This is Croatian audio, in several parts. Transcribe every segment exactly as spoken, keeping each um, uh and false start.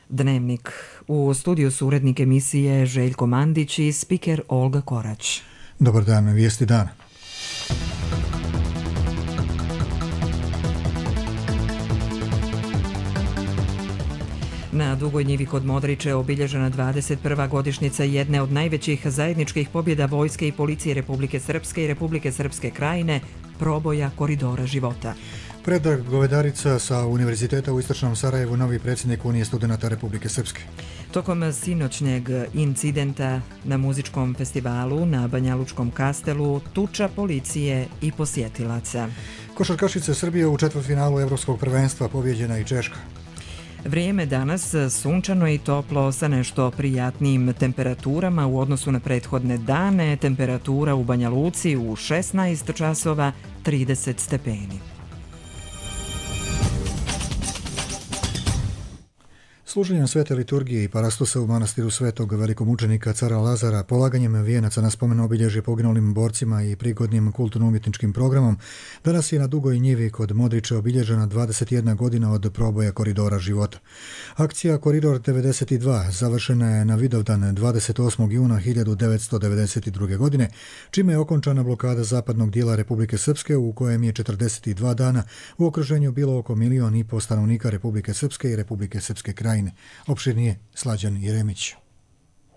Dnevnik. U studiju su urednik emisije Željko Mandić i spiker Olga Korać. Dobar dan, vijesti dana. Na Dugoj njivi kod Modriče obilježena dvadeset prva godišnjica jedne od najvećih zajedničkih pobjeda vojske i policije Republike Srpske i Republike Srpske Krajine, proboja koridora života. Predrag Govedarica sa Univerziteta u Istočnom Sarajevu, novi predsjednik Unije studenata Republike Srpske. Tokom sinoćnjeg incidenta na muzičkom festivalu na Banjalučkom Kastelu, tuča policije i posjetilaca. Košarkašice Srbije u četvrtfinalu Evropskog prvenstva, pobijeđena i Češka. Vrijeme danas sunčano i toplo sa nešto prijatnijim temperaturama u odnosu na prethodne dane. Temperatura u Banja Luci u šesnaest časova trideset stepeni. Služenjem svete liturgije i parastosa u manastiru svetog velikomučenika cara Lazara, polaganjem vijenaca na spomen obilježje poginulim borcima i prigodnim kulturno-umjetničkim programom, danas je na Dugoj njivi kod Modriče obilježena dvadeset jedna godina od proboja koridora života. Akcija Koridor devedeset dva završena je na Vidovdan dvadeset osmog juna hiljadu devetsto devedeset druge. godine, čime je okončana blokada zapadnog dijela Republike Srpske, u kojem je četrdeset dva dana u okruženju bilo oko milion i po stanovnika Republike Srpske i Republike Srpske Krajine. Opširnije Slađan Jeremić.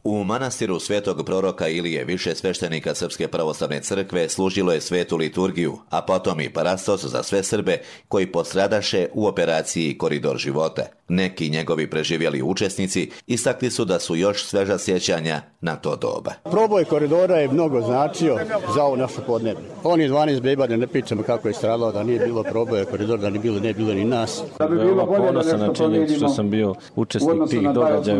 U manastiru svetog proroka Ilije više sveštenika Srpske pravoslavne crkve služilo je svetu liturgiju, a potom i parastos za sve Srbe koji postradaše u operaciji Koridor života. Neki njegovi preživjeli učesnici istakli su da su još sveža sjećanja na to doba. Proboj koridora je mnogo značio za ovo naše podneblje. On je dvanaest beba, da ne pričamo kako je stradalo, da nije bilo proboja koridora, da ne bilo, ne bilo ni nas. Da bi bilo ponosan na činjenicu što sam bio učesnik tih događaja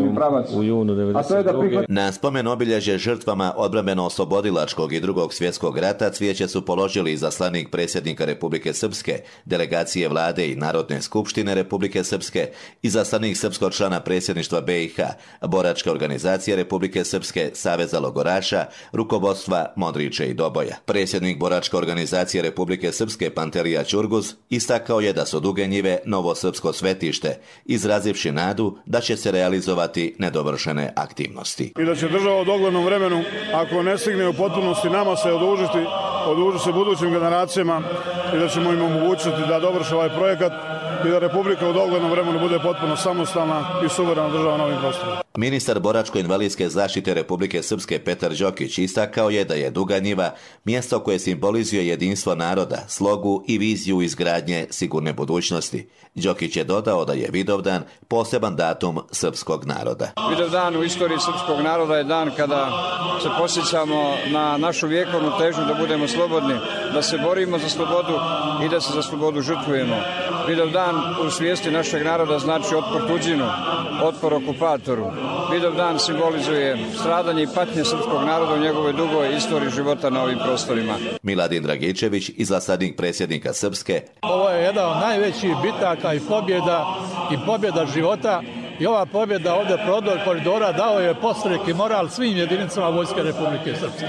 u junu devedeset druge. Na spomen obilježje žrtvama odbrambeno-oslobodilačkog i drugog svjetskog rata cvijeće su položili izaslanik predsjednika Republike Srpske, delegacije vlade i Narodne skupštine Republike Srpske, izaslanik srpskog člana predsjedništva be i ha, boračke organizacije Republike Srpske, Saveza logoraša, rukovodstva Modriče i Doboja. Predsjednik boračke organizacije Republike Srpske Pantelija Ćurguz istakao je da su Duge njive novo srpsko svetište, izrazivši nadu da će se realizovati nedovršene aktivnosti. I da će država u doglednom vremenu, ako ne stigne u potpunosti nama se odužiti, odužiti se budućim generacijama i da ćemo im omogućiti da dovrše ovaj projekat i da Republika u doglednom vremenu bude potpuno samostalna i suverena država na ovim prostorima. Ministar boračko-invalidske zaštite Republike Srpske Petar Đokić istakao je da je Duga njiva mjesto koje simbolizuje jedinstvo naroda, slogu i viziju izgradnje sigurne budućnosti. Đokić je dodao da je Vidovdan poseban datum srpskog naroda. Vidovdan u istoriji srpskog naroda je dan kada se posjećamo na našu vjekovnu težnju da budemo slobodni, da se borimo za slobodu i da se za slobodu žrtvujemo. Vidovdan u svijesti našeg naroda znači otpor tuđinu, otpor okupatoru. Vidovdan simbolizuje stradanje i patnje srpskog naroda u njegovoj dugoj istoriji života na ovim prostorima. Miladin Dragičević, izaslanik predsjednika Srpske. Ovo je jedna od najvećih bitaka i pobjeda i pobjeda života. I ova pobjeda ovdje prodor koridora dao je podstrek i moral svim jedinicama Vojske Republike Srpske.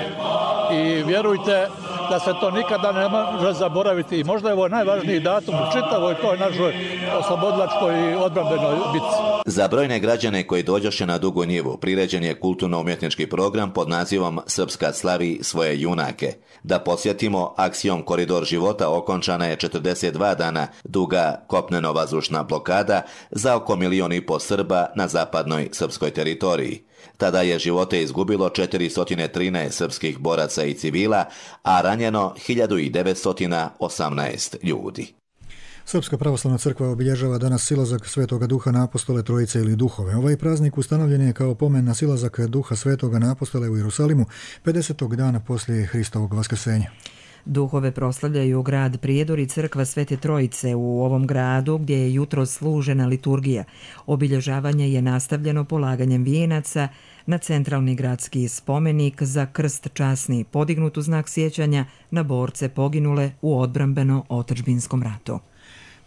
I vjerujte da se to nikada ne može zaboraviti. I možda je ovo najvažniji datum u čitavoj toj našoj oslobodilačkoj i odbrambenoj bitci. Za brojne građane koji dođoše na Dugu njivu priređen je kulturno-umjetnički program pod nazivom Srpska slavi svoje junake. Da podsjetimo, akcijom Koridor života okončana je četrdeset dva dana duga kopneno-vazdušna blokada za oko milion i po Srba na zapadnoj srpskoj teritoriji. Tada je živote izgubilo četiristo trinaest srpskih boraca i civila, a ranjeno hiljadu devetsto osamnaest ljudi. Srpska pravoslavna crkva obilježava danas silazak Svetoga Duha na apostole Trojice ili Duhove. Ovaj praznik ustanovljen je kao pomen na silazak Duha Svetoga na apostole u Jerusalimu pedesetog dana poslije Hristovog vaskrsenja. Duhove proslavljaju grad Prijedor i crkva Svete Trojice u ovom gradu gdje je jutro služena liturgija. Obilježavanje je nastavljeno polaganjem vijenaca na centralni gradski spomenik za krst časni, podignut u znak sjećanja na borce poginule u odbrambeno-otadžbinskom ratu.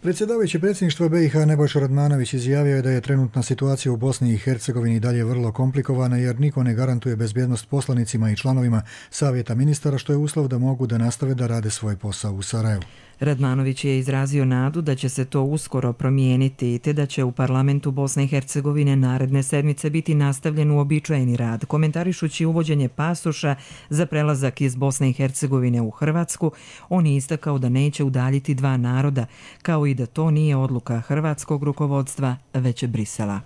Predsjedavajući predsjedništva be i ha Nebojša Radmanović izjavio je da je trenutna situacija u Bosni i Hercegovini dalje vrlo komplikovana jer niko ne garantuje bezbjednost poslanicima i članovima Savjeta ministara, što je uslov da mogu da nastave da rade svoj posao u Sarajevu. Radmanović je izrazio nadu da će se to uskoro promijeniti te da će u parlamentu Bosne i Hercegovine naredne sedmice biti nastavljen uobičajeni rad. Komentarišući uvođenje pasoša za prelazak iz Bosne i Hercegovine u Hrvatsku, on je istakao da neće udaljiti dva naroda, kao i da to nije odluka hrvatskog rukovodstva, već Brisela.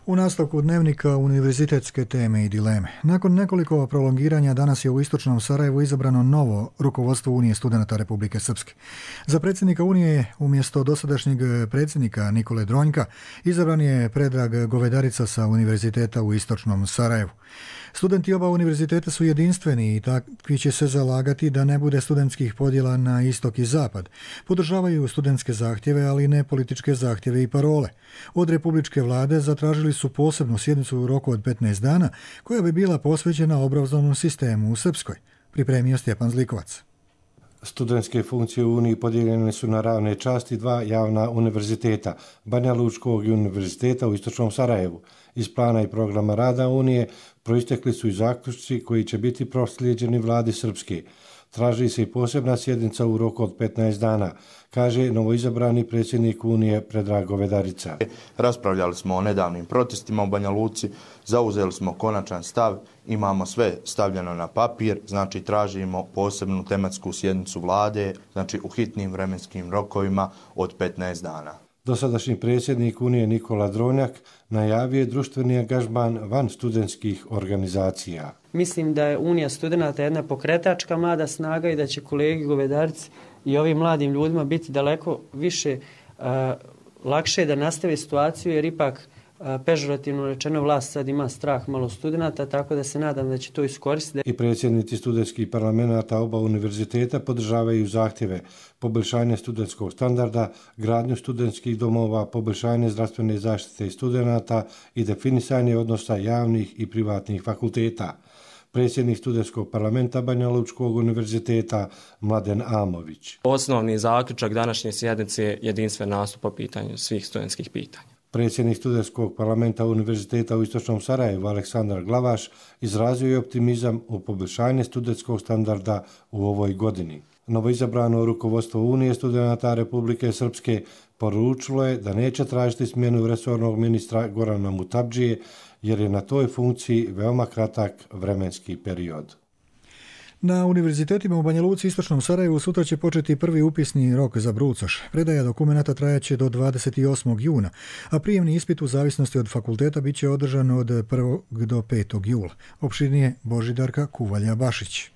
U nastavku dnevnika univerzitetske teme i dileme. Nakon nekoliko prolongiranja danas je u istočnom Sarajevu izabrano novo rukovodstvo Unije studenata Republike Srpske. Za predsjednika Unije umjesto dosadašnjeg predsjednika Nikole Dronjka izabran je Predrag Govedarica sa Univerziteta u istočnom Sarajevu. Studenti oba univerziteta su jedinstveni i takvi će se zalagati da ne bude studentskih podjela na istok i zapad. Podržavaju studentske zahtjeve, ali ne političke zahtjeve i parole. Od republičke vlade zatražili su posebnu sjednicu u roku od petnaest dana, koja bi bila posvećena obrazovnom sistemu u Srpskoj, pripremio Stjepan Zlikovac. Studentske funkcije u Uniji podijeljene su na ravne časti dva javna univerziteta, Banja Lučkog i Univerziteta u istočnom Sarajevu. Iz plana i programa rada Unije proistekli su i zaključci koji će biti proslijeđeni vladi Srpske. Traži se i posebna sjednica u roku od petnaest dana, kaže novoizabrani predsjednik Unije Predrag Govedarica. Raspravljali smo o nedavnim protestima u Banja Luci, zauzeli smo konačan stav, imamo sve stavljeno na papir, znači tražimo posebnu tematsku sjednicu vlade, znači u hitnim vremenskim rokovima od petnaest dana. Dosadašnji predsjednik Unije Nikola Dronjak najavio je društveni angažman van studentskih organizacija. Mislim da je Unija studenata jedna pokretačka mlada snaga i da će kolegi Govedarici i ovim mladim ljudima biti daleko više uh, lakše da nastave situaciju, jer ipak uh, pežorativno rečeno vlast sad ima strah malo studenata, tako da se nadam da će to iskoristiti. I predsjednici studentskih parlamenata oba univerziteta podržavaju zahtjeve poboljšanje studentskog standarda, gradnju studentskih domova, poboljšanje zdravstvene zaštite studenata i definisanje odnosa javnih i privatnih fakulteta. Predsjednik studentskog parlamenta Banja Lučkog univerziteta Mladen Amović. Osnovni zaključak današnje sjednice je jedinstven nastup po pitanju svih studentskih pitanja. Predsjednik studentskog parlamenta Univerziteta u istočnom Sarajevu Aleksandar Glavaš izrazio je optimizam u poboljšanje studentskog standarda u ovoj godini. Novoizabrano rukovodstvo Unije studenata Republike Srpske poručilo je da neće tražiti smjenu resornog ministra Gorana Mutabdžije, jer je na toj funkciji veoma kratak vremenski period. Na univerzitetima u Banja Luci i istočnom Sarajevu sutra će početi prvi upisni rok za brucoš. Predaja dokumenata trajaće do dvadeset osmog juna, a prijemni ispit u zavisnosti od fakulteta bit će održan od prvog do petog jula. Opširnije Božidarka Kuvalja-Bašić.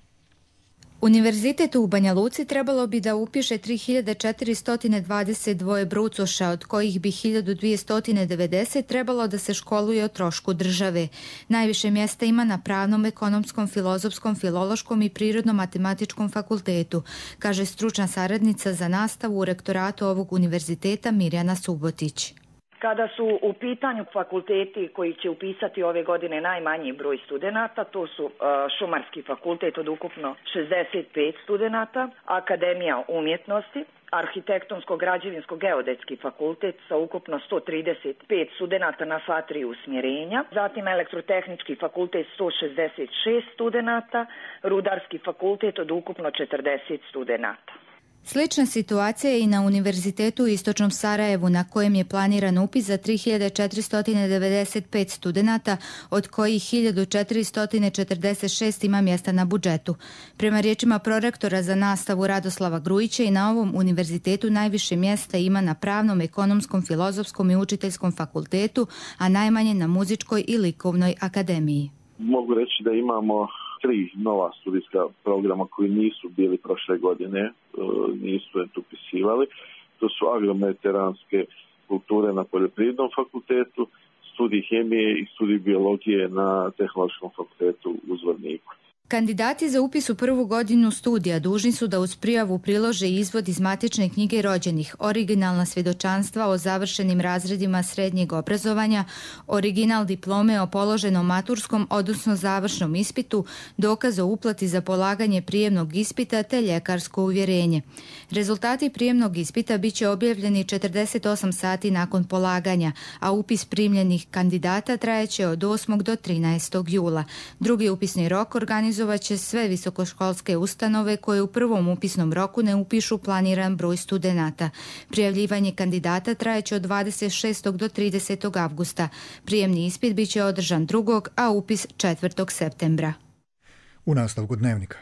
Univerzitet u Banja Luci trebalo bi da upiše tri hiljade četiristo dvadeset dva brucoša, od kojih bi hiljadu dvjesto devedeset trebalo da se školuje o trošku države. Najviše mjesta ima na pravnom, ekonomskom, filozofskom, filološkom i prirodno-matematičkom fakultetu, kaže stručna saradnica za nastavu u rektoratu ovog univerziteta Mirjana Subotić. Kada su u pitanju fakulteti koji će upisati ove godine najmanji broj studenata, to su uh, Šumarski fakultet od ukupno šezdeset pet studenata, Akademija umjetnosti, Arhitektonsko-građevinsko-geodetski fakultet sa ukupno sto trideset pet studenata na sva tri usmjerenja, zatim Elektrotehnički fakultet sto šezdeset šest studenata, Rudarski fakultet od ukupno četrdeset studenata. Slična situacija je i na Univerzitetu u istočnom Sarajevu, na kojem je planiran upis za tri hiljade četiristo devedeset pet studenata, od kojih hiljadu četiristo četrdeset šest ima mjesta na budžetu. Prema riječima prorektora za nastavu Radoslava Grujića, i na ovom univerzitetu najviše mjesta ima na pravnom, ekonomskom, filozofskom i učiteljskom fakultetu, a najmanje na muzičkoj i likovnoj akademiji. Mogu reći da imamo tri nova studijska programa koji nisu bili prošle godine, nisu upisivali. To su agromediteranske kulture na Poljoprivrednom fakultetu, studij hemije i studij biologije na Tehnološkom fakultetu u Zvorniku. Kandidati za upis u prvu godinu studija dužni su da uz prijavu prilože izvod iz matične knjige rođenih, originalna svjedočanstva o završenim razredima srednjeg obrazovanja, original diplome o položenom maturskom, odnosno završnom ispitu, dokaz o uplati za polaganje prijemnog ispita te ljekarsko uvjerenje. Rezultati prijemnog ispita bit će objavljeni četrdeset osam sati nakon polaganja, a upis primljenih kandidata trajeće od osmog do trinaestog jula. Drugi upisni rok organizuje organizovaće sve visokoškolske ustanove koje u prvom upisnom roku ne upišu planiran broj studenata. Prijavljivanje kandidata trajeće od dvadeset šestog do tridesetog avgusta. Prijemni ispit biće održan drugog, a upis četvrtog septembra. U nastavku dnevnika.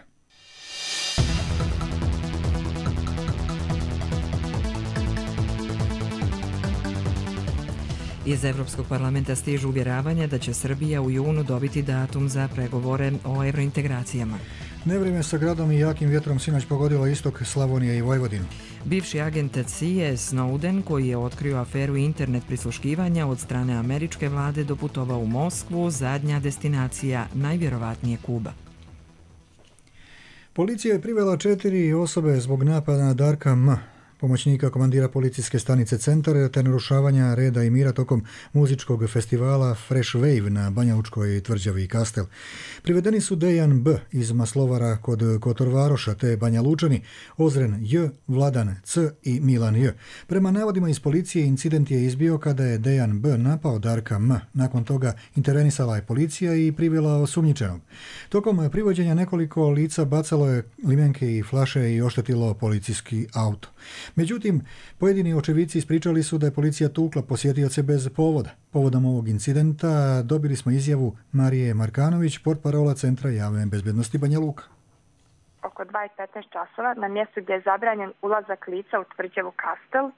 Iz Evropskog parlamenta stižu uvjeravanja da će Srbija u junu dobiti datum za pregovore o evrointegracijama. Nevrijeme sa gradom i jakim vjetrom sinoć pogodilo istok Slavonije i Vojvodinu. Bivši agent C I A Snowden, koji je otkrio aferu internet prisluškivanja od strane američke vlade, doputovao u Moskvu, zadnja destinacija najvjerovatnije Kuba. Policija je privela četiri osobe zbog napada na Darka M., pomoćnika komandira policijske stanice Centar, te narušavanja reda i mira tokom muzičkog festivala Fresh Wave na Banjalučkoj tvrđavi i Kastel. Privedeni su Dejan B. iz Maslovara kod Kotorvaroša, te Banjalučani, Ozren J, Vladan C i Milan J. Prema navodima iz policije, incident je izbio kada je Dejan B. napao Darka M. Nakon toga intervenisala je policija i privela osumnjičenog. Tokom privođenja nekoliko lica bacalo je limenke i flaše i oštetilo policijski auto. Međutim, pojedini očevici ispričali su da je policija tukla posjetioce bez povoda. Povodom ovog incidenta dobili smo izjavu Marije Markanović, portparola Centra javne bezbednosti Banja Luka. Oko dva i petnaest časova na mjestu gdje je zabranjen ulazak lica u tvrđavu Kastel,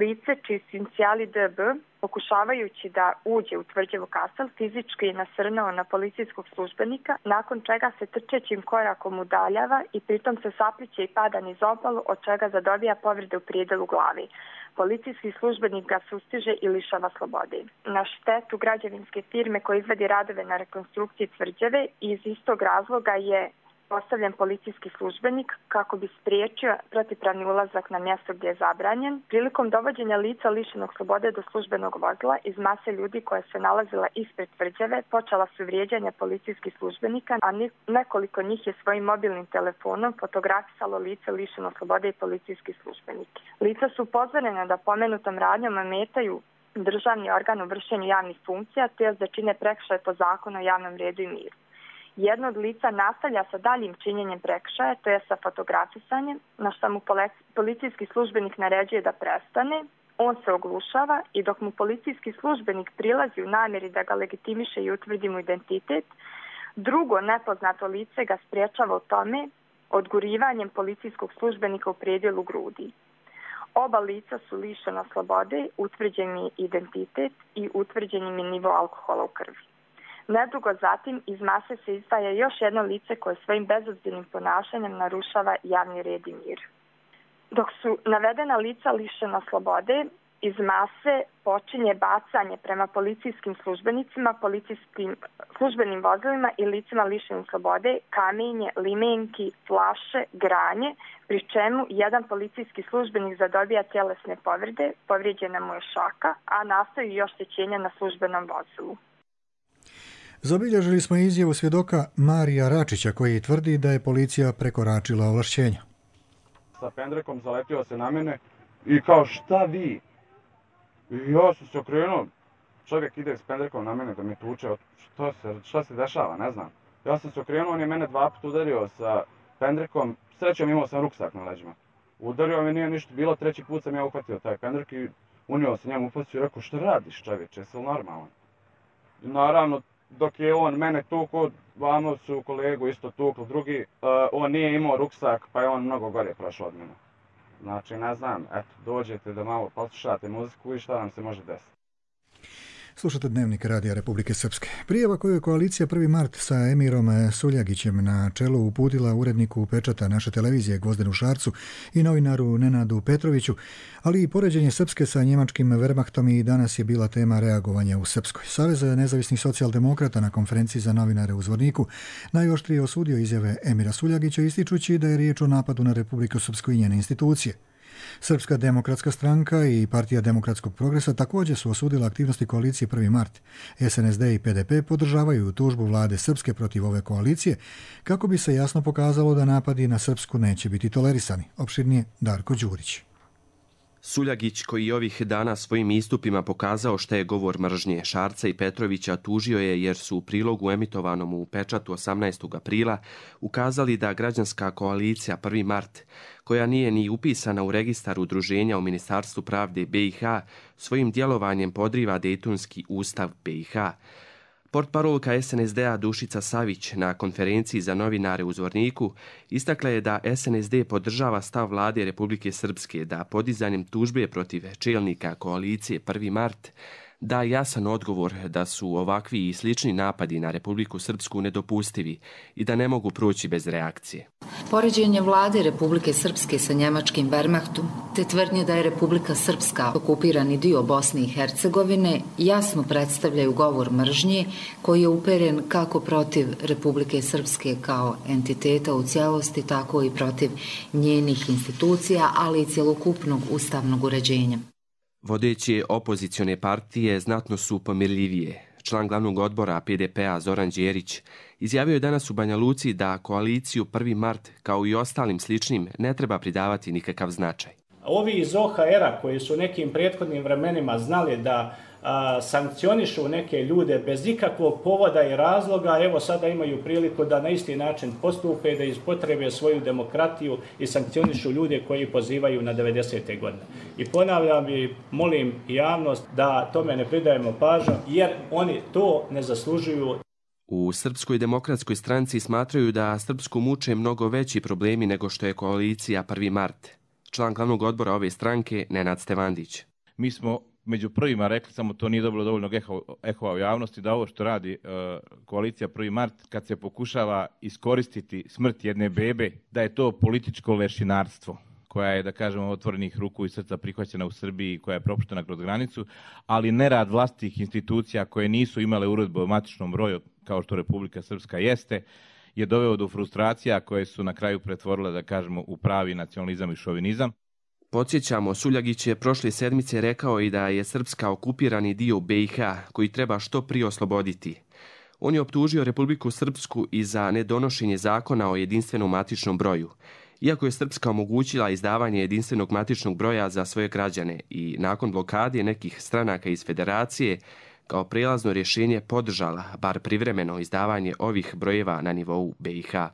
lice čiji su inicijali D B, pokušavajući da uđe u tvrđavu Kastel, fizički je nasrnuo na policijskog službenika, nakon čega se trčećim korakom udaljava i pritom se sapliće i pada niz obalu, od čega zadobija povrede u prijedelu glavi. Policijski službenik ga sustiže i lišava slobode. Na štetu građevinske firme koja izvodi radove na rekonstrukciji tvrđave, iz istog razloga je postavljen policijski službenik kako bi spriječio protivpravni ulazak na mjesto gdje je zabranjen. Prilikom dovođenja lica lišenog slobode do službenog vozila iz mase ljudi koja se nalazila ispred tvrđave počela su vrijeđanja policijskih službenika, a nekoliko njih je svojim mobilnim telefonom fotografisalo lice lišeno slobode i policijski službenik. Lica su upozorena da pomenutom radnjom ometaju državni organ u vršenju javnih funkcija, te da čine prekršaj po zakonu o javnom redu i miru. Jedno od lica nastavlja sa daljim činjenjem prekršaja, to je sa fotografisanjem, na što mu policijski službenik naređuje da prestane. On se oglušava i dok mu policijski službenik prilazi u namjeri da ga legitimiše i utvrdi mu identitet, drugo nepoznato lice ga spriječava u tome odgurivanjem policijskog službenika u predjelu grudi. Oba lica su lišena slobode, utvrđen je identitet i utvrđen je nivo alkohola u krvi. Nedugo zatim iz mase se izdvaja još jedno lice koje svojim bezobzirnim ponašanjem narušava javni red i mir. Dok su navedena lica lišena slobode, iz mase počinje bacanje prema policijskim službenicima, policijskim službenim vozilima i licima lišenim slobode, kamenje, limenki, flaše, granje, pri čemu jedan policijski službenik zadobija tjelesne povrede, povrijeđena mu je šaka, a nastaju još oštećenja na službenom vozilu. Zabilježili smo izjavu svjedoka Marija Račića koji tvrdi da je policija prekoračila ovlašćenja. Sa pendrekom zaletio se na mene i kao šta vi? I ja sam se okrenuo, čovjek ide s pendrekom na mene da mi tuče, šta se, šta se dešava, ne znam. Ja sam se okrenuo, on je mene dva puta udario sa pendrekom, srećom imao sam ruksak na leđima. Udario mi nije ništa bilo, treći put sam ja uhvatio taj pendrek i unio se njemu u facu i rekao šta radiš čovječe, jesi li normalan? I naravno, dok je on mene tukao, vamo su kolegu isto tukli drugi, uh, on nije imao ruksak pa je on mnogo gore prošao od mene. Znači, ne znam, eto, dođete da malo poslušate muziku i šta nam se može desiti. Slušate Dnevnik Radija Republike Srpske. Prijava koju je koalicija prvi mart sa Emirom Suljagićem na čelu uputila uredniku Pečata naše televizije Gvozdenu Šarcu i novinaru Nenadu Petroviću, ali i poređenje Srpske sa njemačkim Wehrmachtom i danas je bila tema reagovanja u Srpskoj. Savez nezavisnih socijaldemokrata na konferenciji za novinare u Zvorniku najoštrije osudio izjave Emira Suljagića ističući da je riječ o napadu na Republiku Srpsku i njene institucije. Srpska demokratska stranka i Partija demokratskog progresa također su osudila aktivnosti koalicije prvi mart. S N S D i P D P podržavaju tužbu vlade Srpske protiv ove koalicije kako bi se jasno pokazalo da napadi na Srpsku neće biti tolerisani. Opširnije Darko Đurić. Suljagić, koji ovih dana svojim istupima pokazao šta je govor mržnje, Šarca i Petrovića tužio je jer su u prilogu emitovanom u Pečatu osamnaestog aprila ukazali da građanska koalicija prvi mart, koja nije ni upisana u registar udruženja u Ministarstvu pravde B i H, svojim djelovanjem podriva Dejtonski ustav B i H. Portparolka S N S D-a Dušica Savić na konferenciji za novinare u Zvorniku istakla je da S N S D podržava stav vlade Republike Srpske da podizanjem tužbe protiv čelnika koalicije prvi mart da jasan odgovor da su ovakvi i slični napadi na Republiku Srpsku nedopustivi i da ne mogu proći bez reakcije. Poređenje vlade Republike Srpske sa njemačkim Wehrmachtom te tvrdnje da je Republika Srpska okupirani dio Bosne i Hercegovine jasno predstavljaju govor mržnje koji je uperen kako protiv Republike Srpske kao entiteta u cijelosti, tako i protiv njenih institucija, ali i cjelokupnog ustavnog uređenja. Vodeće opozicione partije znatno su pomirljivije. Član glavnog odbora P D P-a Zoran Đerić izjavio je danas u Banja Luci da koaliciju prvi mart, kao i ostalim sličnim, ne treba pridavati nikakav značaj. Ovi iz O H R-a koji su nekim prethodnim vremenima znali da a, sankcionišu neke ljude bez ikakvog povoda i razloga, evo sada imaju priliku da na isti način postupe, da ispotrebe svoju demokratiju i sankcionišu ljude koji pozivaju na devedesete godine. I ponavljam i molim javnost da tome ne pridajemo pažnju, jer oni to ne zaslužuju. U Srpskoj demokratskoj stranci smatraju da Srpsku muče mnogo veći problemi nego što je koalicija prvi mart. Član glavnog odbora ove stranke, Nenad Stevandić. Mi smo među prvima rekli, samo to nije dobilo dovoljnog ehova u javnosti, da ovo što radi uh, koalicija prvi mart, kad se pokušava iskoristiti smrt jedne bebe, da je to političko lešinarstvo, koja je, da kažemo, otvorenih ruku i srca prihvaćena u Srbiji, koja je propuštena kroz granicu, ali nerad vlastitih institucija koje nisu imale uredbu o matičnom broju, kao što Republika Srpska jeste, je doveo do frustracija koje su na kraju pretvorile, da kažemo, u pravi nacionalizam i šovinizam. Podsjećamo, Suljagić je prošle sedmice rekao i da je Srpska okupirani dio B i H koji treba što prije osloboditi. On je optužio Republiku Srpsku i za nedonošenje zakona o jedinstvenom matičnom broju, iako je Srpska omogućila izdavanje jedinstvenog matičnog broja za svoje građane i nakon blokade nekih stranaka iz federacije kao prijelazno rješenje podržala, bar privremeno, izdavanje ovih brojeva na nivou B i H.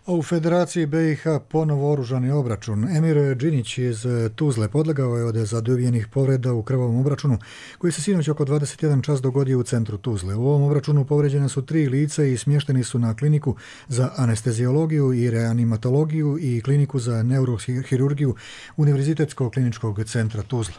A u Federaciji B i H ponovo oružani obračun. Emir Džinić iz Tuzle podlegao je od zadovijenih povreda u krvavom obračunu koji se sinoć oko dvadeset jedan čas dogodio u centru Tuzle. U ovom obračunu povređene su tri lica i smješteni su na kliniku za anesteziologiju i reanimatologiju i kliniku za neurohirurgiju Univerzitetskog kliničkog centra Tuzla.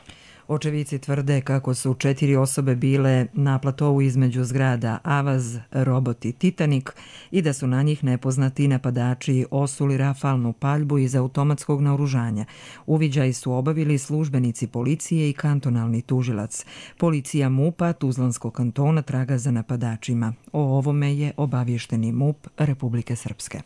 Očevici tvrde kako su četiri osobe bile na platovu između zgrada Avaz, Robot i Titanik i da su na njih nepoznati napadači osuli rafalnu paljbu iz automatskog naoružanja. Uviđaj su obavili službenici policije i kantonalni tužilac. Policija MUP-a Tuzlanskog kantona traga za napadačima. O ovome je obavješteni MUP Republike Srpske.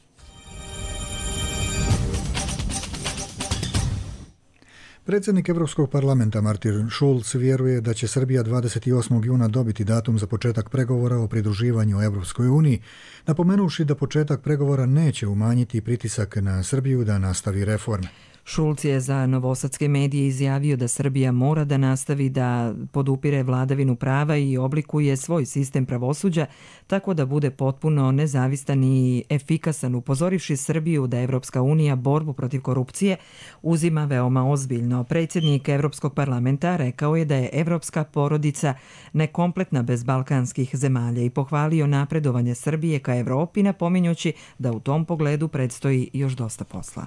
Predsjednik Evropskog parlamenta Martin Schulz vjeruje da će Srbija dvadeset osmog juna dobiti datum za početak pregovora o pridruživanju Evropskoj uniji, napomenuvši da početak pregovora neće umanjiti pritisak na Srbiju da nastavi reforme. Šulc je za novosadske medije izjavio da Srbija mora da nastavi da podupire vladavinu prava i oblikuje svoj sistem pravosuđa tako da bude potpuno nezavistan i efikasan, upozorivši Srbiju da Evropska unija borbu protiv korupcije uzima veoma ozbiljno. Predsjednik Evropskog parlamenta rekao je da je evropska porodica nekompletna bez balkanskih zemalja i pohvalio napredovanje Srbije ka Evropi, napominjući da u tom pogledu predstoji još dosta posla.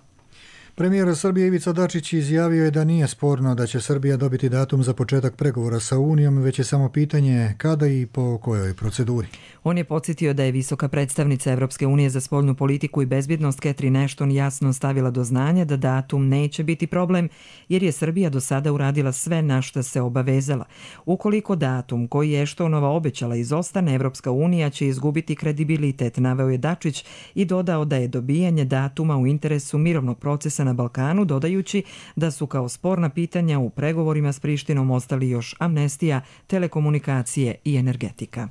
Premijer Srbije Ivica Dačić izjavio je da nije sporno da će Srbija dobiti datum za početak pregovora sa Unijom, već je samo pitanje kada i po kojoj proceduri. On je podsjetio da je visoka predstavnica Evropske unije za spoljnu politiku i bezbjednost Catherine Ashton jasno stavila do znanja da datum neće biti problem, jer je Srbija do sada uradila sve na što se obavezala. Ukoliko datum koji je Ashtonova obećala izostane, Evropska unija će izgubiti kredibilitet, naveo je Dačić i dodao da je dobijanje datuma u interesu mirovnog procesa na Balkanu, dodajući da su kao sporna pitanja u pregovorima s Prištinom ostali još amnestija, telekomunikacije i energetika.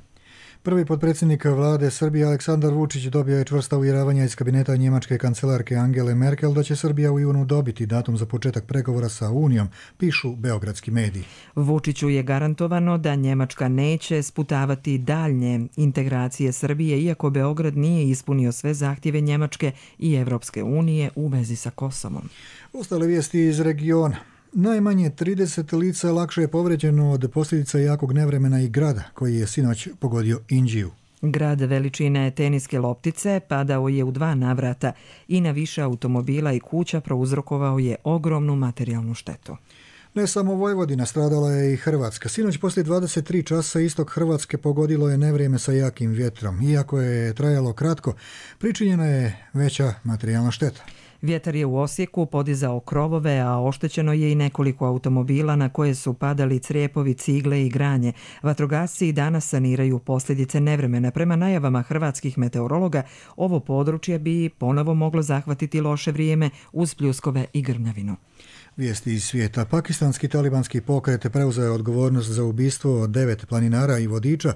Prvi potpredsjednik vlade Srbije Aleksandar Vučić dobio je čvrsta uvjeravanja iz kabineta njemačke kancelarke Angele Merkel da će Srbija u junu dobiti datum za početak pregovora sa Unijom, pišu beogradski mediji. Vučiću je garantovano da Njemačka neće sputavati daljnje integracije Srbije, iako Beograd nije ispunio sve zahtjeve Njemačke i Evropske unije u vezi sa Kosovom. Ostale vijesti iz regiona. Najmanje trideset lica lakše je povređeno od posljedica jakog nevremena i grada koji je sinoć pogodio Inđiju. Grad veličine teniske loptice padao je u dva navrata i na više automobila i kuća prouzrokovao je ogromnu materijalnu štetu. Ne samo Vojvodina, stradala je i Hrvatska. Sinoć poslije dvadeset tri časa istok Hrvatske pogodilo je nevrijeme sa jakim vjetrom. Iako je trajalo kratko, pričinjena je veća materijalna šteta. Vjetar je u Osijeku podizao krovove, a oštećeno je i nekoliko automobila na koje su padali crijepovi, cigle i granje. Vatrogasci i danas saniraju posljedice nevremena. Prema najavama hrvatskih meteorologa, ovo područje bi ponovo moglo zahvatiti loše vrijeme uz pljuskove i grmljavinu. Vijesti iz svijeta. Pakistanski talibanski pokret preuzeo je odgovornost za ubistvo od devet planinara i vodiča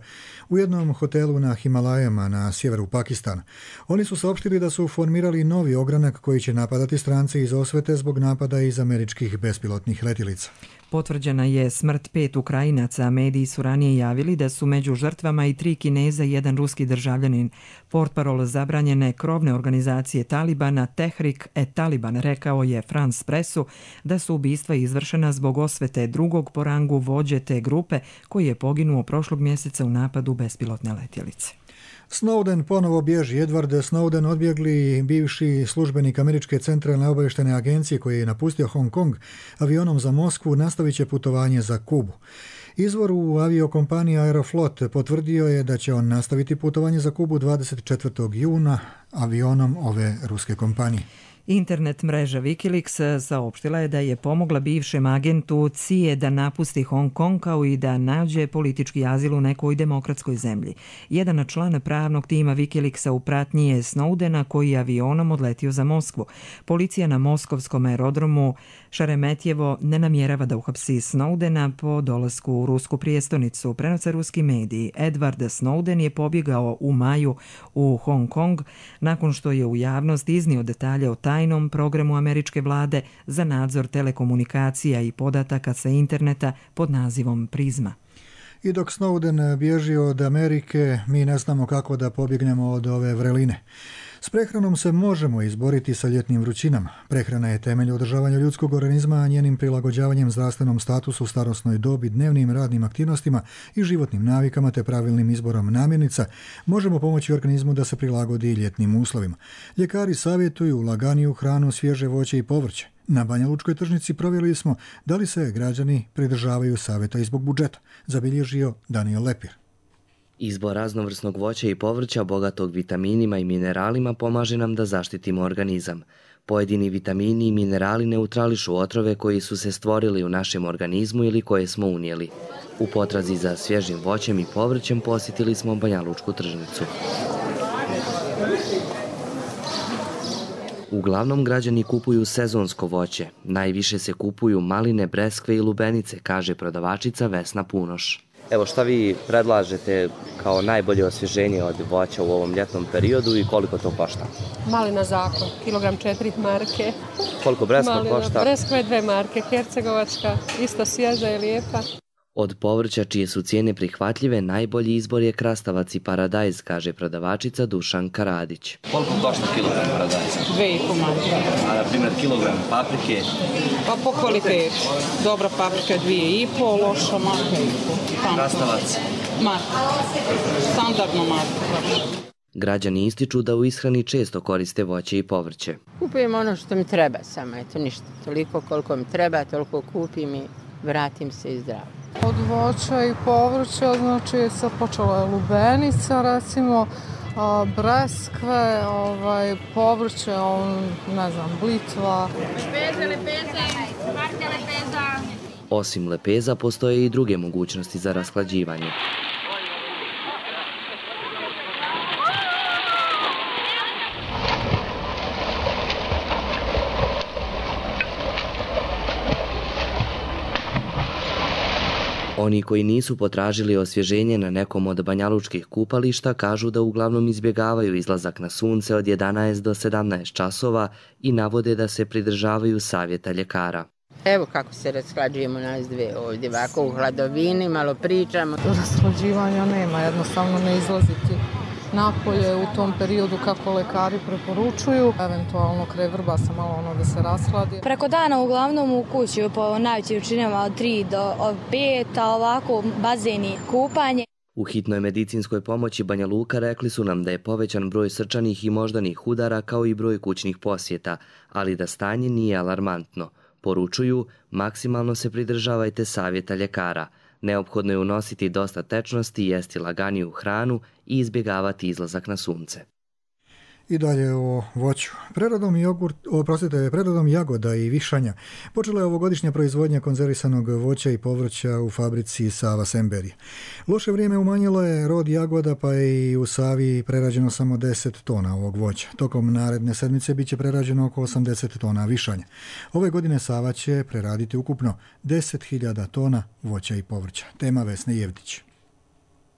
u jednom hotelu na Himalajama na sjeveru Pakistana. Oni su saopštili da su formirali novi ogranak koji će napadati strance iz osvete zbog napada iz američkih bespilotnih letjelica. Potvrđena je smrt pet Ukrajinaca, a mediji su ranije javili da su među žrtvama i tri Kineza i jedan ruski državljanin. Portparol zabranjene krovne organizacije Talibana Tehrik et Taliban rekao je France Pressu da su ubistva izvršena zbog osvete drugog po rangu vođe te grupe koji je poginuo prošlog mjeseca u napadu bespilotne letjelice. Snowden ponovo bježi. Edward Snowden, odbjegli bivši službenik Američke centralne obavještajne agencije koji je napustio Hong Kong avionom za Moskvu, nastavit će putovanje za Kubu. Izvor u aviokompaniji Aeroflot potvrdio je da će on nastaviti putovanje za Kubu dvadeset četvrtog juna avionom ove ruske kompanije. Internet mreža Wikileaks saopštila je da je pomogla bivšem agentu C I A da napusti Hong Kong kao i da nađe politički azil u nekoj demokratskoj zemlji. Jedan član pravnog tima Wikileaksa u pratnji je Snowdena koji je avionom odletio za Moskvu. Policija na moskovskom aerodromu Šeremetjevo ne namjerava da uhapsi Snowdena po dolasku u rusku prijestolnicu. Prenose ruski mediji. Edward Snowden je pobjegao u maju u Hong Kong nakon što je u javnost iznio detalje o tajnom programu američke vlade za nadzor telekomunikacija i podataka sa interneta pod nazivom Prizma. I dok Snowden bježi od Amerike, mi ne znamo kako da pobjegnemo od ove vreline. S prehranom se možemo izboriti sa ljetnim vrućinama. Prehrana je temelj održavanja ljudskog organizma, a njenim prilagođavanjem zdravstvenom statusu, starosnoj dobi, dnevnim radnim aktivnostima i životnim navikama te pravilnim izborom namirnica možemo pomoći organizmu da se prilagodi ljetnim uslovima. Ljekari savjetuju laganiju hranu, svježe voće i povrće. Na Banja Lučkoj tržnici provjerili smo da li se građani pridržavaju savjeta i zbog budžeta, zabilježio Daniel Lepir. Izbor raznovrsnog voća i povrća bogatog vitaminima i mineralima pomaže nam da zaštitimo organizam. Pojedini vitamini i minerali neutrališu otrove koji su se stvorili u našem organizmu ili koje smo unijeli. U potrazi za svježim voćem i povrćem posjetili smo Banja Lučku tržnicu. Uglavnom građani kupuju sezonsko voće. Najviše se kupuju maline, breskve i lubenice, kaže prodavačica Vesna Punoš. Evo, šta vi predlažete kao najbolje osvježenje od voća u ovom ljetnom periodu i koliko to košta? Malina zakon, kilogram četiri marke. Koliko breskva Malina, košta? Breskva je dve marke, hercegovačka, isto svježa i lijepa. Od povrća čije su cijene prihvatljive, najbolji izbor je krastavac i paradajz, kaže prodavačica Dušanka Radić. Koliko košta kilogram paradajza? Dve i po marke. A na primjer kilogram paprike? Pa po kvalitetu. Dobra paprika dvije i po, loša marka i po. Krastavac? Marka. Standardno marka. Građani ističu da u ishrani često koriste voće i povrće. Kupujem ono što mi treba samo, eto ništa. Toliko koliko mi treba, toliko kupim i vratim se i zdravo. Od voća i povrća, znači sad počela je lubenica, recimo, a, breskve, ovaj, povrće, on, ne znam, blitva. Lepeze, lepeze, marke lepeza. Osim lepeza, postoje i druge mogućnosti za rashlađivanje. Oni koji nisu potražili osvježenje na nekom od banjalučkih kupališta kažu da uglavnom izbjegavaju izlazak na sunce od jedanaest do sedamnaest časova i navode da se pridržavaju savjeta ljekara. Evo kako se rashlađujemo nas dve ovdje, ovako u hladovini, malo pričamo. Rashlađivanja nema, jednostavno ne izlaziti napolje u tom periodu kako lekari preporučuju. Eventualno kraj vrba se malo ono da se rashladi. Preko dana uglavnom u kući po najvećim učinama od tri do pet, a ovako bazeni, kupanje. U hitnoj medicinskoj pomoći Banja Luka rekli su nam da je povećan broj srčanih i moždanih udara kao i broj kućnih posjeta, ali da stanje nije alarmantno. Poručuju, maksimalno se pridržavajte savjeta ljekara. Neophodno je unositi dosta tečnosti, jesti laganiju hranu i izbjegavati izlazak na sunce. I dalje o voću. Preradom, jogurt, oprostite, preradom jagoda i višanja počela je ovogodišnja proizvodnja konzervisanog voća i povrća u fabrici Sava Semberije. Loše vrijeme umanjilo je rod jagoda, pa je i u Savi prerađeno samo deset tona ovog voća. Tokom naredne sedmice biće prerađeno oko osamdeset tona višanja. Ove godine Sava će preraditi ukupno deset hiljada tona voća i povrća. Tema Vesne Jevdić.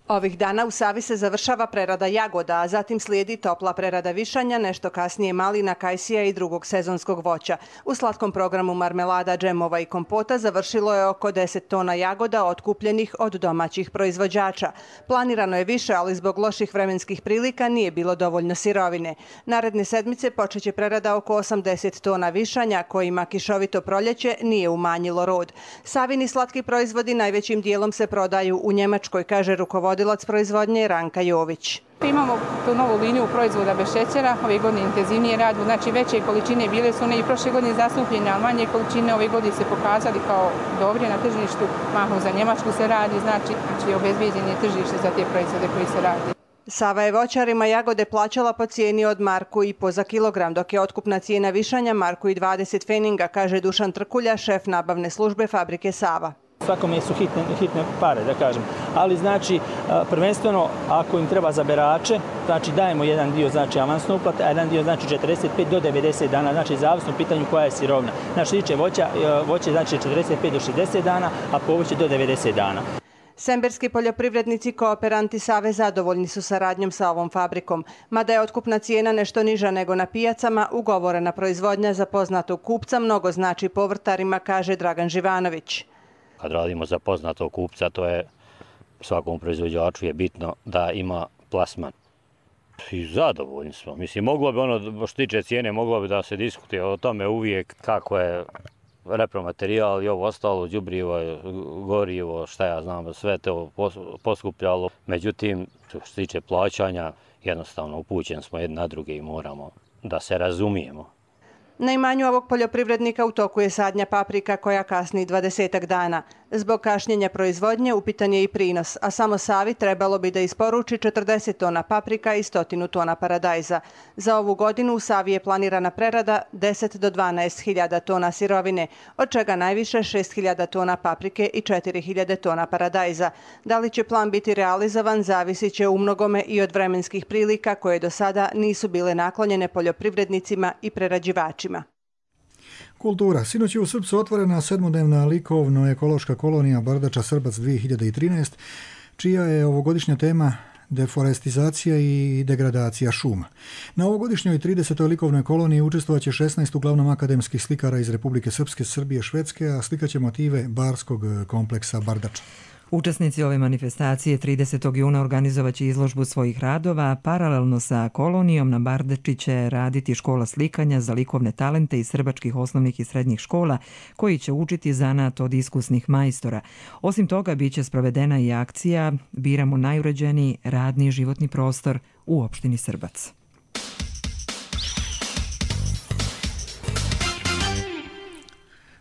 Ovih dana u Savi se završava prerada jagoda, a zatim slijedi topla prerada višanja, nešto kasnije malina, kajsija i drugog sezonskog voća. U slatkom programu marmelada, džemova i kompota završilo je oko deset tona jagoda otkupljenih od domaćih proizvođača. Planirano je više, ali zbog loših vremenskih prilika nije bilo dovoljno sirovine. Naredne sedmice počeće prerada oko osamdeset tona višanja, kojima kišovito proljeće nije umanjilo rod. Savini slatki proizvodi najvećim dijelom se prodaju u Njemačkoj, kaže rukovodilac Vodilac proizvodnje Ranka Jović. Imamo tu novu liniju proizvoda bez šećera, ove godine intenzivnije radimo, znači veće količine bile su one i prošle godine zastupljene, ali manje količine ove godine se pokazali kao dobri na tržištu, mahom za Njemačku se radi, znači, znači obezbijeđen je tržište za te proizvode koji se radi. Sava je voćarima jagode plaćala po cijeni od marku i po za kilogram, dok je otkupna cijena višanja marku i dvadeset feninga, kaže Dušan Trkulja, šef nabavne službe fabrike Sava. Svakome su hitne, hitne pare, da kažem. Ali znači, prvenstveno, ako im treba za berače, znači dajemo jedan dio znači avansno uplate, a jedan dio znači četrdeset pet do devedeset dana, znači zavisno u pitanju koja je sirovina. Znači, što tiče voća, voće znači četrdeset pet do šezdeset dana, a povrće do devedeset dana. Semberski poljoprivrednici kooperanti Save zadovoljni su saradnjom sa ovom fabrikom. Mada je otkupna cijena nešto niža nego na pijacama, ugovorena proizvodnja za poznatog kupca mnogo znači povrtarima, kaže Dragan Živanović. Kad radimo za poznatog kupca, to je svakom proizvođaču je bitno da ima plasman. I zadovoljni smo. Mislim, moglo bi ono, što tiče cijene, moglo bi da se diskutuje o tome uvijek kako je repromaterijal i ovo ostalo, đubrivo, gorivo, šta ja znam, sve to poskupljalo. Međutim, što se tiče plaćanja, jednostavno upućeni smo jedni na druge i moramo da se razumijemo. Na imanju ovog poljoprivrednika u toku je sadnja paprika koja kasni dvadesetak dana. Zbog kašnjenja proizvodnje upitan je i prinos, a samo Savi trebalo bi da isporuči četrdeset tona paprika i stotinu tona paradajza. Za ovu godinu u Savi je planirana prerada deset do dvanaest hiljada tona sirovine, od čega najviše šest hiljada tona paprike i četiri hiljade tona paradajza. Da li će plan biti realizovan, zavisit će u mnogome i od vremenskih prilika koje do sada nisu bile naklonjene poljoprivrednicima i prerađivačima. Kultura. Sinoć je u Srpcu otvorena sedmodnevna likovno-ekološka kolonija Bardača Srbac dvije hiljade trinaest, čija je ovogodišnja tema deforestizacija i degradacija šuma. Na ovogodišnjoj tridesetoj likovnoj koloniji učestvovaće šesnaest uglavnom akademskih slikara iz Republike Srpske, Srbije, Švedske, a slikaće motive barskog kompleksa Bardača. Učesnici ove manifestacije tridesetog juna organizovaće izložbu svojih radova, a paralelno sa kolonijom na Bardači će raditi škola slikanja za likovne talente iz srbačkih osnovnih i srednjih škola, koji će učiti zanat od iskusnih majstora. Osim toga, bit će sprovedena i akcija Biramo najuređeniji radni životni prostor u opštini Srbac.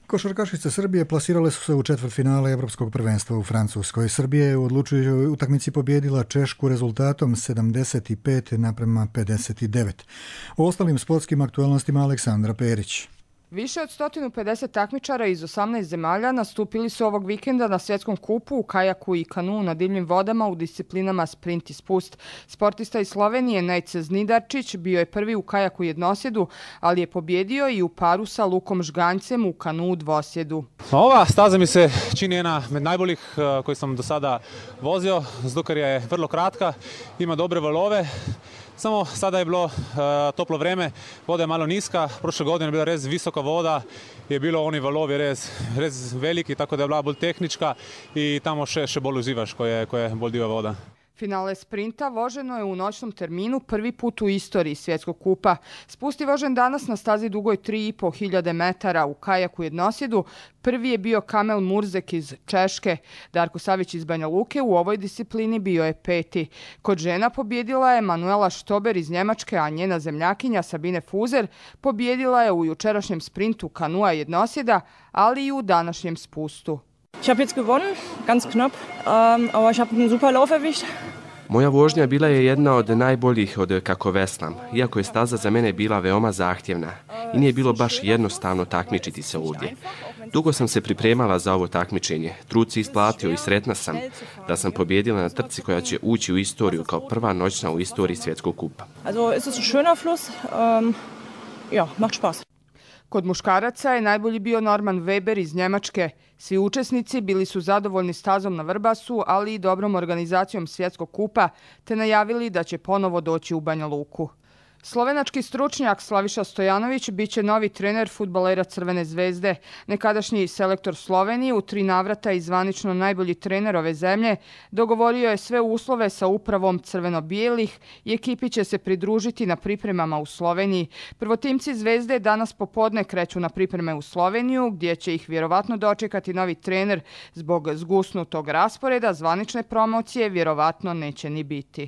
Košarkašice Srbije plasirale su se u četvrtfinale Evropskog prvenstva u Francuskoj. Srbija je u odlučujućoj utakmici pobjedila Češku rezultatom sedamdeset pet naprema pedeset devet. O ostalim sportskim aktualnostima Aleksandra Perić. Više od sto pedeset takmičara iz osamnaest zemalja nastupili su ovog vikenda na svjetskom kupu u kajaku i kanu na divljim vodama u disciplinama sprint i spust. Sportista iz Slovenije Nejce Znidarčić bio je prvi u kajaku jednosjedu, ali je pobjedio i u paru sa Lukom Žganjcem u kanu u dvosjedu. Ova staza mi se čini jedna med najboljih koji sam do sada vozio, zato ker je vrlo kratka, ima dobre valove. Samo sada je bilo uh, toplo vreme, voda je malo niska, prošle godine je bila res visoka voda, je bilo oni valovi res, res veliki, tako da je bila bolj tehnička i tamo še, še bolj uživaš, ko je, ko je bolj diva voda. Finale sprinta voženo je u noćnom terminu prvi put u istoriji svjetskog kupa. Spust je vožen danas na stazi dugoj tri i po hiljade metara u kajaku jednosjedu. Prvi je bio Kamel Murzek iz Češke. Darko Savić iz Banja Luke u ovoj disciplini bio je peti. Kod žena pobjedila je Manuela Štober iz Njemačke, a njena zemljakinja Sabine Fuzer pobjedila je u jučerašnjem sprintu kanua jednosjeda, ali i u današnjem spustu. Ich habe jetzt gewonnen, ganz knapp, um, aber ich habe einen super Lauf erwischt. Moja vožnja bila je jedna od najboljih od kako veslam, iako je staza za mene bila veoma zahtjevna i nije bilo baš jednostavno takmičiti se ovdje. Dugo sam se pripremala za ovo takmičenje, trud se isplatio i sretna sam da sam pobjedila na trci koja će ući u istoriju kao prva noćna u istoriji svjetskog kupa. Also ist es ein schöner Fluss, um, ja, macht Spaß. Kod muškaraca je najbolji bio Norman Weber iz Njemačke. Svi učesnici bili su zadovoljni stazom na Vrbasu, ali i dobrom organizacijom svjetskog kupa, te najavili da će ponovo doći u Banja Luku. Slovenački stručnjak Slaviša Stojanović biće novi trener fudbalera Crvene zvezde. Nekadašnji selektor Slovenije, u tri navrata i zvanično najbolji trener ove zemlje, dogovorio je sve uslove sa upravom crveno-bijelih i ekipi će se pridružiti na pripremama u Sloveniji. Prvotimci zvezde danas popodne kreću na pripreme u Sloveniju, gdje će ih vjerovatno dočekati novi trener. Zbog zgusnutog rasporeda zvanične promocije vjerovatno neće ni biti.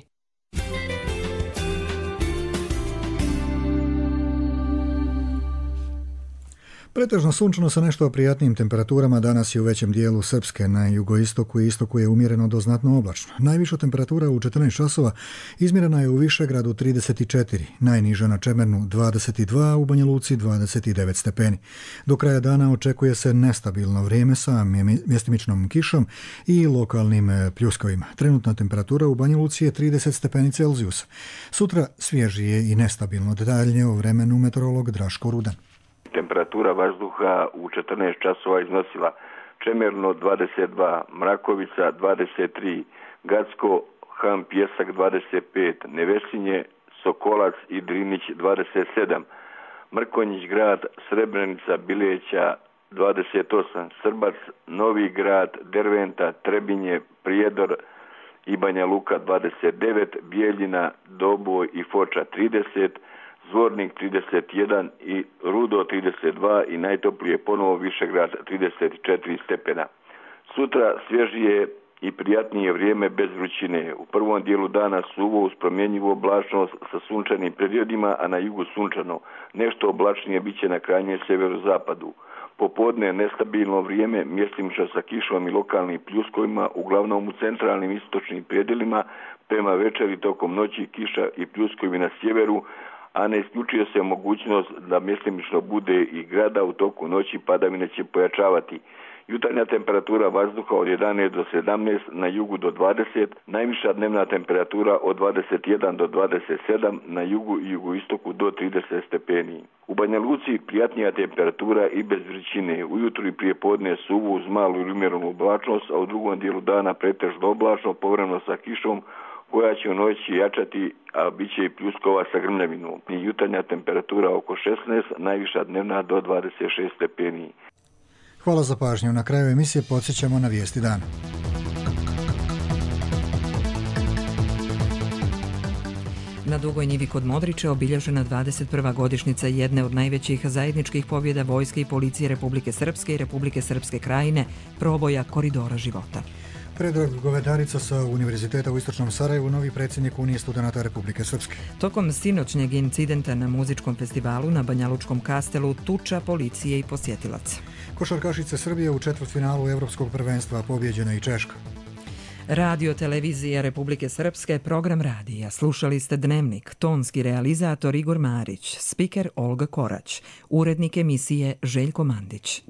Pretežno sunčano sa nešto prijatnijim temperaturama danas je u većem dijelu Srpske, na jugoistoku i istoku je umjereno do znatno oblačno. Najviša temperatura u četrnaest časova izmjerena je u Višegradu trideset četiri, najniža na Čemernu dvadeset dva, u Banja Luci dvadeset devet stepeni. Do kraja dana očekuje se nestabilno vrijeme sa mjestimičnom kišom i lokalnim pljuskovima. Trenutna temperatura u Banja Luci je trideset stepeni Celzijusa. Sutra svježije i nestabilno. Detaljnije o vremenu meteorolog Draško Rudan. Temperatura vazduha u četrnaest časova iznosila Čemerno dvadeset dva, Mrakovica dvadeset tri, Gacko, Han Pjesak dvadeset pet, Nevesinje, Sokolac i Drinić dvadeset sedam, Mrkonjić grad, Srebrenica, Bileća dvadeset osam, Srbac, Novi grad, Derventa, Trebinje, Prijedor i Banja Luka dvadeset devet, Bijeljina, Doboj i Foča trideset, Zvornik trideset jedan i Rudo trideset dva i najtoplije ponovo Višegrad trideset četiri stepena. Sutra svježije i prijatnije vrijeme bez vrućine. U prvom dijelu dana suvo uz promjenjivu oblačnost sa sunčanim periodima, a na jugu sunčano. Nešto oblačnije bit će na krajnjem sjeverozapadu. Popodne nestabilno vrijeme, mjestimično sa kišom i lokalnim pljuskovima, uglavnom u centralnim istočnim predjelima, prema večeri tokom noći kiša i pljuskovi na sjeveru, a ne isključuje se mogućnost da mjestimično bude i grada u toku noći, padavine će pojačavati. Jutarnja temperatura vazduha od jedanaest do sedamnaest, na jugu do dvadeset, najviša dnevna temperatura od dvadeset jedan do dvadeset sedam, na jugu i jugoistoku do trideset stepeni. U Banja Luci prijatnija temperatura i bez vrućine. Ujutro i prije podne suvo uz malu ili umjerenu oblačnost, a u drugom dijelu dana pretežno oblačno, povremeno sa kišom, koja će u noći jačati, a bit će i pljuskova sa grmljavinom. I jutarnja temperatura oko šesnaest, najviša dnevna do dvadeset šest stepeni. Hvala za pažnju. Na kraju emisije podsjećamo na vijesti dana. Na Dugoj njivi kod Modrića obilježena dvadeset prva godišnjica jedne od najvećih zajedničkih pobjeda Vojske i Policije Republike Srpske i Republike Srpske Krajine, proboja Koridora života. Predrag Govedarica sa Univerziteta u Istočnom Sarajevu, novi predsjednik Unije studenata Republike Srpske. Tokom sinoćnjeg incidenta na muzičkom festivalu na Banjalučkom kastelu tuča policije i posjetilaca. Košarkašice Srbije u četvrtfinalu Evropskog prvenstva pobjeđena i Češka. Radio televizija Republike Srpske, program radija. Slušali ste Dnevnik, tonski realizator Igor Marić, spiker Olga Korać, urednik emisije Željko Mandić.